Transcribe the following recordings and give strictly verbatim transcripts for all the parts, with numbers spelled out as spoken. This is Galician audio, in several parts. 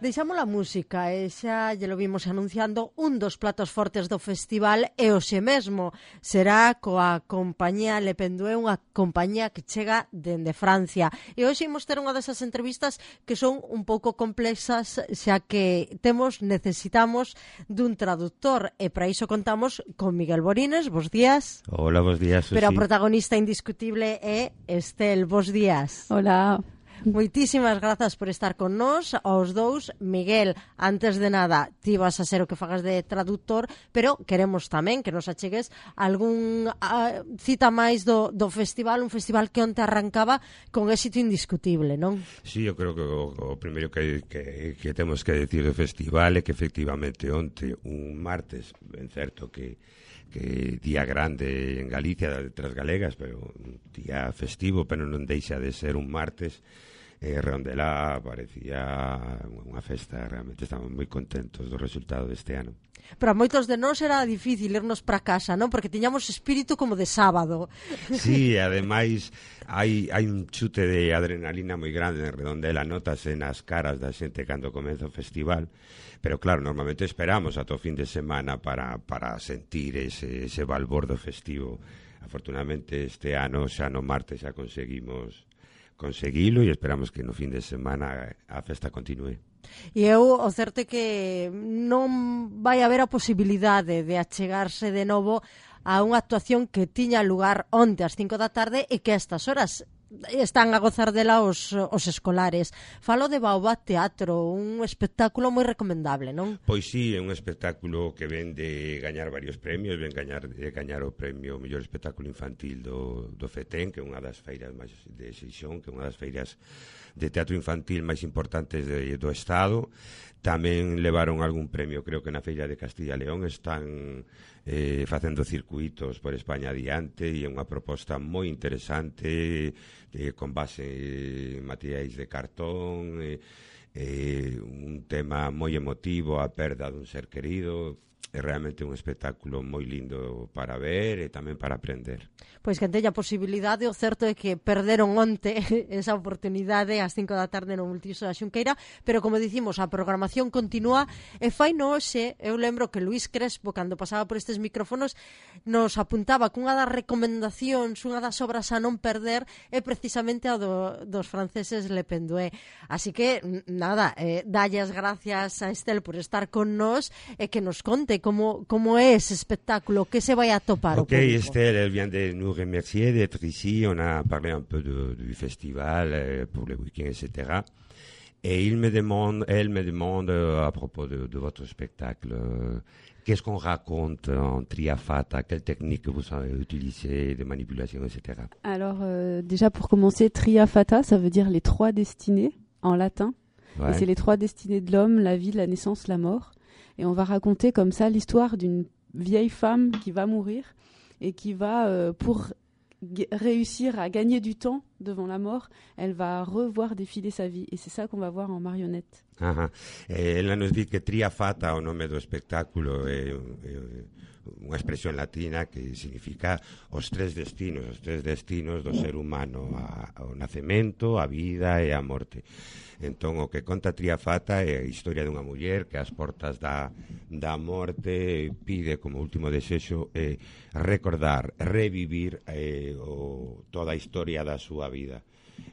Deixamos a música e xa lle lo vimos anunciando un dos platos fortes do festival e hoxe mesmo será coa compañía Le Pendué, unha compañía que chega dende Francia. E hoxe imos ter unha desas entrevistas que son un pouco complexas, xa que temos, necesitamos dun traductor e para iso contamos con Miguel Borines. Bos días. Hola, bos días, Susi. Pero a protagonista indiscutible é Estel. Bos días. Hola. Moitísimas grazas por estar con nós, aos dous. Miguel, antes de nada, ti vas a ser o que fagas de traductor, pero queremos tamén que nos achegues algún uh, cita máis do, do festival, un festival que onte arrancaba con éxito indiscutible, non? Sí, eu creo que o, o primeiro que, que, que temos que decir do festival é que efectivamente onte, un martes, ben certo que que día grande en Galicia, de Letras Galegas, pero un día festivo, pero non deixa de ser un martes. Eh, Redondelá parecía unha festa, realmente estamos moi contentos do resultado deste ano. Pero a moitos de nós era difícil irnos para casa, non? Porque tiñamos espírito como de sábado. Sí, ademais hai, hai un chute de adrenalina moi grande en Redondela, notase nas caras da xente cando comeza o festival, pero claro, normalmente esperamos ata o fin de semana para, para sentir ese, ese balbordo festivo. Afortunadamente este ano xa no martes xa conseguimos conseguilo e esperamos que no fin de semana a festa continue. E eu, o certo é que non vai haber a posibilidade de achegarse de novo a unha actuación que tiña lugar onte ás cinco da tarde e que a estas horas están a gozar dela os, os escolares. Falo de Baobab Teatro, un espectáculo moi recomendable, non? Pois sí, é un espectáculo que ven de gañar varios premios, ven gañar, de gañar o premio mellor espectáculo infantil do, do FETEN, que é unha das feiras máis de Xeixón, que é unha das feiras de teatro infantil máis importantes de, do Estado. Tamén levaron algún premio, creo que na Feira de Castilla e León. Están eh, facendo circuitos por España adiante e é unha proposta moi interesante, eh, con base en materiais de cartón, eh, eh, un tema moi emotivo, a perda dun ser querido. É realmente un espectáculo moi lindo para ver e tamén para aprender. Pois que teña a posibilidade, o certo é que perderon onte esa oportunidade ás cinco da tarde no Multiuso da Xunqueira, pero como dicimos, a programación continúa e fai no hoxe. Eu lembro que Luís Crespo, cando pasaba por estes micrófonos, nos apuntaba que unha das recomendacións, unha das obras a non perder é precisamente a do, dos franceses Le Pendué. Así que, nada, eh, dalle as gracias a Estel por estar con nós e que nos conte Como, como é ese espectáculo, que se vai a topar okay, o público. Ok, Estelle, elle vient de nous remercier d'être ici. On a parlé un peu de, du festival euh, pour le week-end, et cetera. Et il me demande, elle me demande euh, à propos de, de votre spectacle, euh, qu'est-ce qu'on raconte en Triafata, quelle technique vous avez utilisée, de manipulation, et cetera. Alors, euh, déjà pour commencer, Triafata, ça veut dire les trois destinées en latin. Ouais. Et c'est les trois destinées de l'homme, la vie, la naissance, la mort. Et on va raconter comme ça l'histoire d'une vieille femme qui va mourir et qui va, euh, pour g- réussir à gagner du temps devant la mort, elle va revoir défiler sa vie. Et c'est ça qu'on va voir en marionnette. Ajá. Eh, ela nos di que Triafata, o nome do espectáculo, é, é unha expresión latina que significa os tres destinos, os tres destinos do ser humano, a, ao nacemento, a vida e a morte. Entón, o que conta Triafata é a historia dunha muller que ás portas da, da morte pide como último desexo eh, recordar, revivir eh, o, toda a historia da súa vida.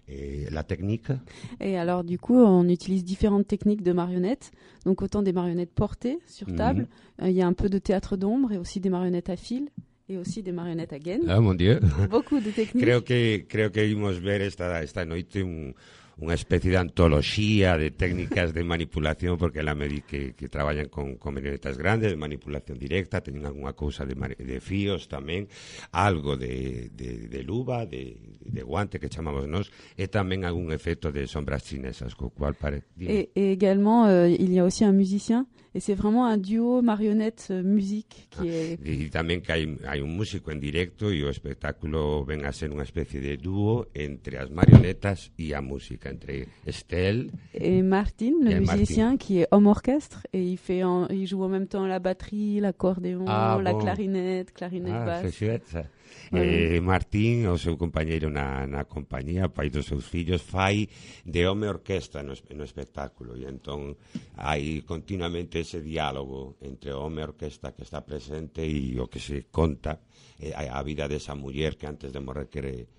Et la technique? Et alors du coup on utilise différentes techniques de marionnettes, donc autant des marionnettes portées sur table, il mmh. euh, y a un peu de théâtre d'ombre et aussi des marionnettes à fil et aussi des marionnettes à gaine. Ah mon Dieu. Beaucoup de techniques. Creo que creo que imos ver esta esta noite un unha especie de antoloxía de técnicas de manipulación, porque ela me di que, que traballan con, con marionetas grandes, de manipulación directa, teñen algunha cousa de, de fíos tamén, algo de, de, de luva, de, de guante que chamamos nós, e tamén algún efecto de sombras chinesas, co cual pare... Et, et également, euh, il y a aussi un musicien Et c'est vraiment un duo marionnette-musique qui ah, est... Y también que hay, hay un músico en directo y o espectáculo ven a ser una especie de dúo entre as marionetas y a música, entre Estelle et Martin, le et musicien Martin. qui est homme orchestre et il, fait en, il joue en même temps la batterie, l'accordéon, Ah, la bon. clarinette, clarinette Ah, basse. c'est chouette, ça. Ouais. Eh, Martín, o seu compañeiro na, na compañía, pai dos seus fillos, fai de home orquesta no, no espectáculo e entón hai continuamente ese diálogo entre o home orquesta que está presente e o que se conta eh, a vida desa muller que antes de morrer quere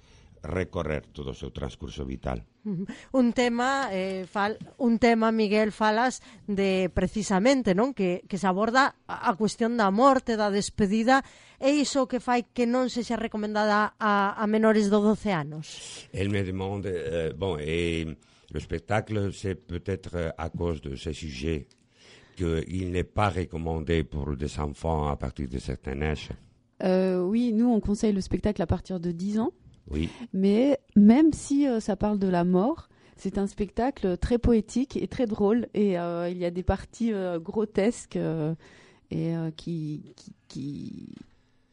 recorrer todo o seu transcurso vital. Un tema, eh, fal, un tema, Miguel, falas de precisamente, non? Que, que se aborda a, a cuestión da morte, da despedida, e iso que fai que non se xa recomendada a, a menores de doce anos. Elle me demande, euh, bon, et le spectacle, c'est peut-être à cause de ce sujet qu'il n'est pas recommandé pour des enfants à partir de certain âge. Euh, oui, nous on conseille le spectacle à partir de dix ans. Oui. Mais même si euh, ça parle de la mort, c'est un spectacle très poétique et très drôle. Et euh, il y a des parties euh, grotesques euh, et euh, qui, qui, qui,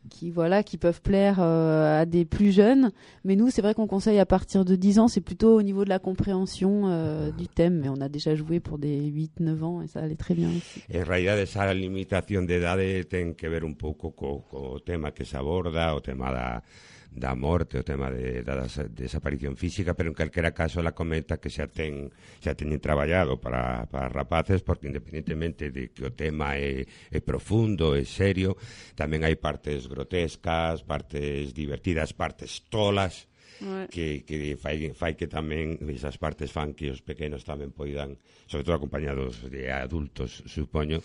qui, voilà, qui peuvent plaire euh, à des plus jeunes. Mais nous, c'est vrai qu'on conseille à partir de dix ans. C'est plutôt au niveau de la compréhension euh, du thème. Mais on a déjà joué pour des huit neuf ans et ça allait très bien aussi. En realidad, esa limitación de edades ten que ver un pouco co, co tema que se aborda, o tema da... da morte, o tema de, da desaparición física, pero en calquera caso la comenta que xa ten xa teñen traballado para, para rapaces, porque independentemente de que o tema é, é profundo, é serio, tamén hai partes grotescas, partes divertidas, partes tolas, ouais. que, que fai, fai que tamén esas partes fan que os pequenos tamén poidan, sobre todo acompañados de adultos, supoño,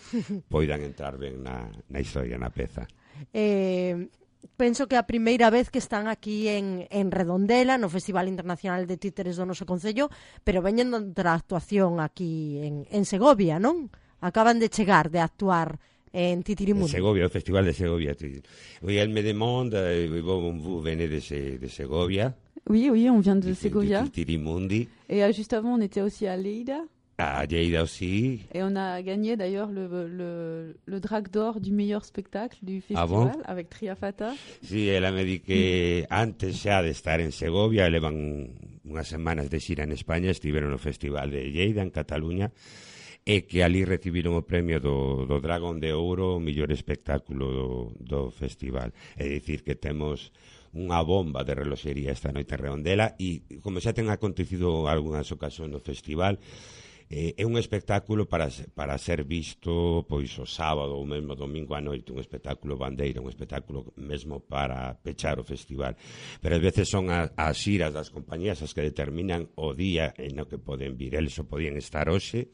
poidan entrar ben na, na historia, na peza. Eh... Penso que a primeira vez que están aquí en, en Redondela, no Festival Internacional de Títeres do noso Concello, pero veñen outra actuación aquí en, en Segovia, non? Acaban de chegar de actuar en Titirimundi. Segovia, o Festival de Segovia. Oui, elle me demande, bon, vous venez de, de Segovia? Oui, oui, on vient de Segovia. De Titirimundi. Et euh, juste avant, on était aussi à Lleida. À Lleida aussi. Et on a gagné d'ailleurs le, le, le Drac d'Or du meilleur spectacle du festival, ah bon? Avec Triafata. Sí, ela me di que antes xa de estar en Segovia, levan unhas semanas de xira en España, estiveron no Festival de Lleida, en Cataluña, e que ali recibiron o premio do, do Dragón de Ouro, o mellor espectáculo do, do festival. É dicir que temos unha bomba de reloxería esta noite en Redondela e, como xa ten acontecido algunhas ocasións no festival, Eh, é un espectáculo para, para ser visto pois o sábado ou mesmo domingo a noite, un espectáculo bandeira, un espectáculo mesmo para pechar o festival, pero ás veces son a, as xiras das compañías as que determinan o día en o que poden vir. Eles só podían estar hoxe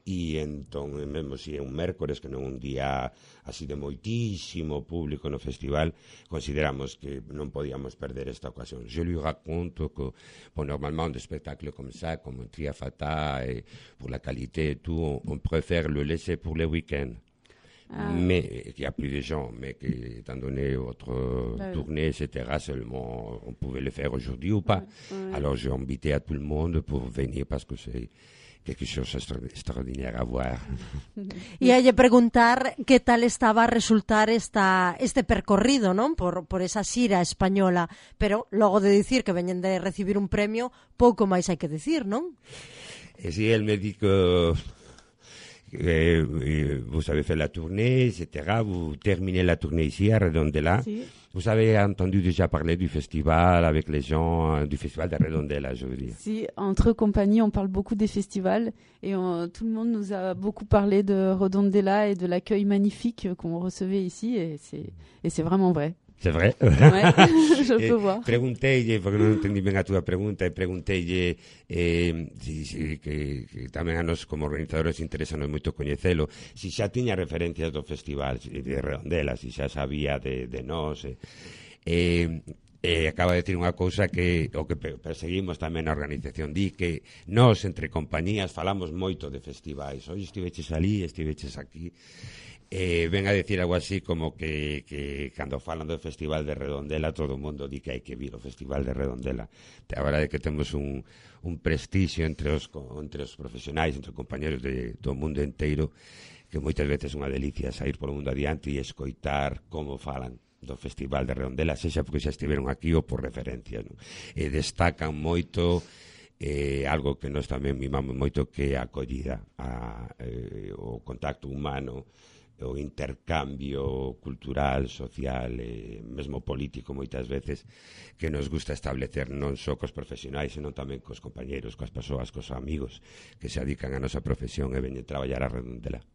e entón, mesmo se é un mércores, que non un día así de moitísimo público no festival, consideramos que non podíamos perder esta ocasión. Je lui raconte que, bon, normalement, un spectacle comme ça, comme Triafata, et pour la qualité et tout, on, on préfère le laisser pour les week-ends. Ah. Mais qu'il y a plus de gens, mais que, étant donné votre bah, tournée, et cetera, seulement on pouvait le faire aujourd'hui ou pas. Ouais, ouais. Alors j'ai invité à tout le monde pour venir parce que c'est quelque chose extraordinaire a voir. E hai de preguntar que tal estaba a resultar esta, este percorrido, non? Por, por esa xira española, pero logo de dicir que veñen de recibir un premio, pouco máis hai que dicir, non? E si, el me di que eh, vous avez fait la tournée, et cetera. Vous terminez la tournée ici à Redondela. Sí. Vous avez entendu déjà parler du festival avec les gens, du festival de Redondela, je veux dire. Si, entre compagnies, on parle beaucoup des festivals et on, tout le monde nous a beaucoup parlé de Redondela et de l'accueil magnifique qu'on recevait ici et c'est, et c'est vraiment vrai. C'est vrai? Ouais, je peux voir. Pregunteille, porque non entendí ben a túa pregunta, e pregunteille eh, si, si, que, que tamén a nos como organizadores interesanos moito coñecelo, si xa tiña referencias do festival de Redondela, si xa sabía de, de nós, e, eh, eh, acaba de decir unha cousa que o que perseguimos tamén na organización, di que nós entre compañías falamos moito de festivais, hoxe estiveches ali, estiveches aquí. Eh, ven a decir algo así como que, que cando falan do Festival de Redondela todo o mundo di que hai que vir ao Festival de Redondela. A verdade é que temos un, un prestixio entre os, entre os profesionais, entre os compañeros de, do mundo inteiro, que moitas veces é unha delicia sair polo mundo adiante e escoitar como falan do Festival de Redondela, sexa porque xa estiveron aquí ou por referencia, non? E destacan moito eh, algo que nós tamén mimamos moito, que é a acollida, a, eh, o contacto humano, o intercambio cultural, social e mesmo político moitas veces, que nos gusta establecer non só cos profesionais, senón tamén cos compañeiros, coas persoas, cos amigos que se dedican a nosa profesión e veñen traballar a Redondela.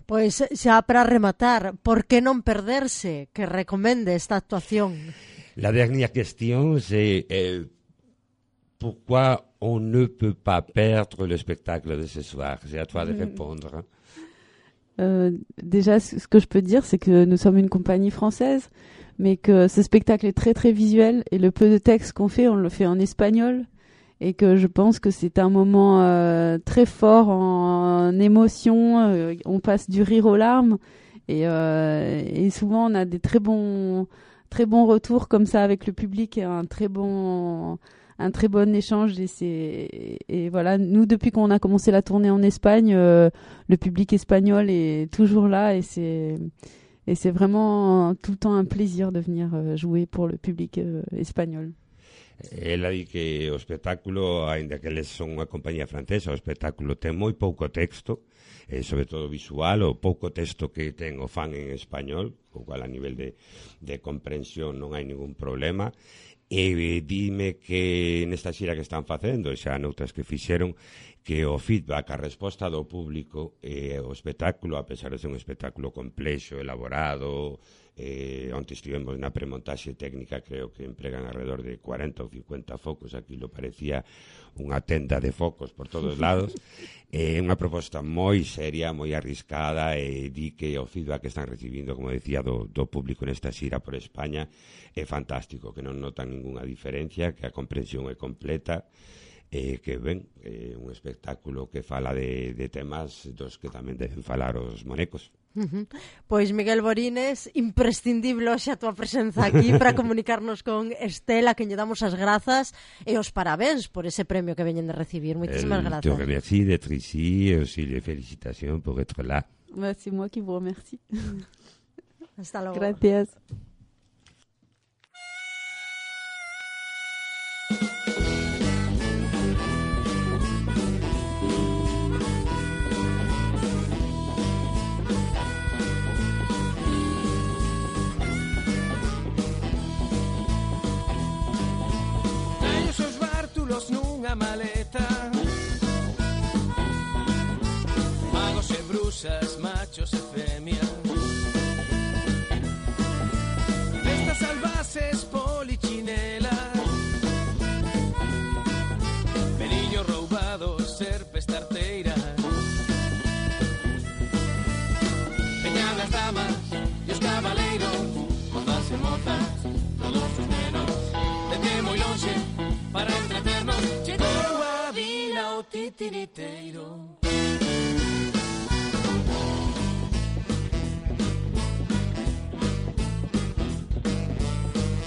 Pois xa para rematar, por que non perderse? Que recomende esta actuación? La dernière question, c'est euh, pourquoi on ne peut pas perdre le spectacle de ce soir? C'est à toi de répondre. Euh, déjà, ce que je peux dire, c'est que nous sommes une compagnie française, mais que ce spectacle est très très visuel, et le peu de texte qu'on fait, on le fait en espagnol, et que je pense que c'est un moment euh, très fort en, en émotion, euh, on passe du rire aux larmes, et, euh, et souvent on a des très bons, très bons retours comme ça avec le public, et un très bon, un très bon échange, et, c'est, et, et voilà, nous depuis qu'on a commencé la tournée en Espagne, euh, le public espagnol est toujours là, et c'est, et c'est vraiment tout le temps un plaisir de venir euh, jouer pour le public euh, espagnol. Ela di que o espectáculo, aínda que eles son unha compañía francesa, o espectáculo ten moi pouco texto, e sobre todo visual, o pouco texto que ten o fan en español, o cual a nivel de, de comprensión non hai ningún problema. E dime que nesta xira que están facendo, xa noutras que fixeron, que o feedback, a resposta do público e o espectáculo, a pesar de ser un espectáculo complexo, elaborado, eh, onde estivemos na premontaxe técnica, creo que empregan alrededor de cuarenta ou cincuenta focos, aquilo parecía unha tenda de focos por todos lados. É eh, unha proposta moi seria, moi arriscada, e di que o feedback que están recibindo, como decía, do, do público nesta xira por España é fantástico, que non notan ninguna diferencia, que a comprensión é completa, e que, ben, é un espectáculo que fala de, de temas dos que tamén deben falar os monecos. Uh-huh. Pois Miguel Borines, imprescindible hoxe a tua presenza aquí para comunicarnos con Estela, que lle damos as grazas e os parabéns por ese premio que veñen de recibir. Moitísimas El, grazas. Te remercie d'être ici, et aussi les félicitations pour être là. Bah, c'est moi qui vous remercie. Hasta luego. Gracias. Nunha maleta, magos e brusas, machos e femias, bestas salvaces, polichinelas, periños roubados, serpes tarteiras, veñan as damas e os cabaleiros, mozas e mozas, todos os nenos, desde moi lonxe para entreternos. Chegou a vila o titiriteiro.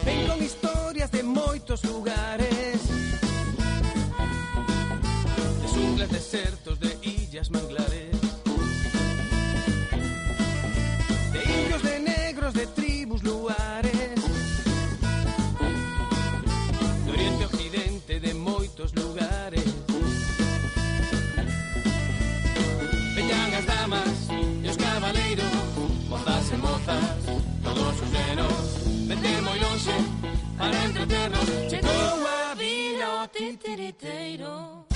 Ven con historias de moitos lugares, de xunglas, desertos, de illas, manglares, de indios, de negros, de tribus, luares, de oriente, occidente, de moitos lugares. Veñan as damas e os cabaleiros, mozas e mozas, todos os nenos, vende moi lonxe para entreternos. Chegou a vila o titiriteiro.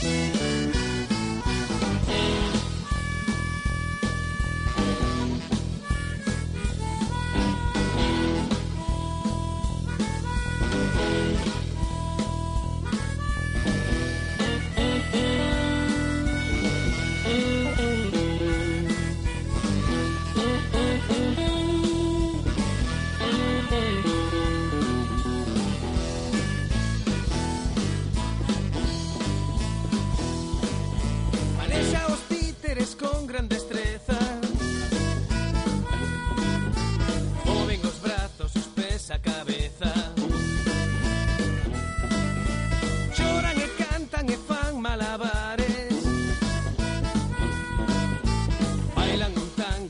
Con gran destreza, moven os brazos, os pés, a cabeza, choran e cantan e fan malabares, bailan un tango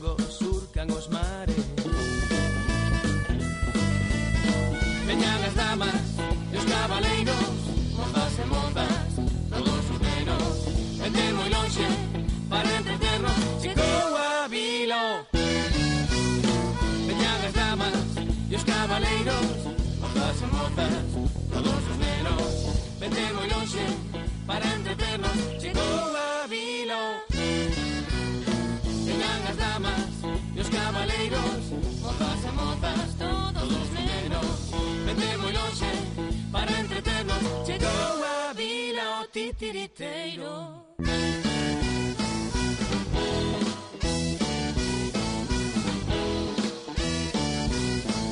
lonxe para entreternos. Chegou a vila. Veñan as damas e os cabaleiros, mozas e mozas, todos os nenos. Vente moi lonxe para entreternos. Chegou a vila. Veñan as damas e os cabaleiros, mozas e mozas, todos os nenos. Vente moi lonxe para entreternos. Chegou a vila o titiriteiro.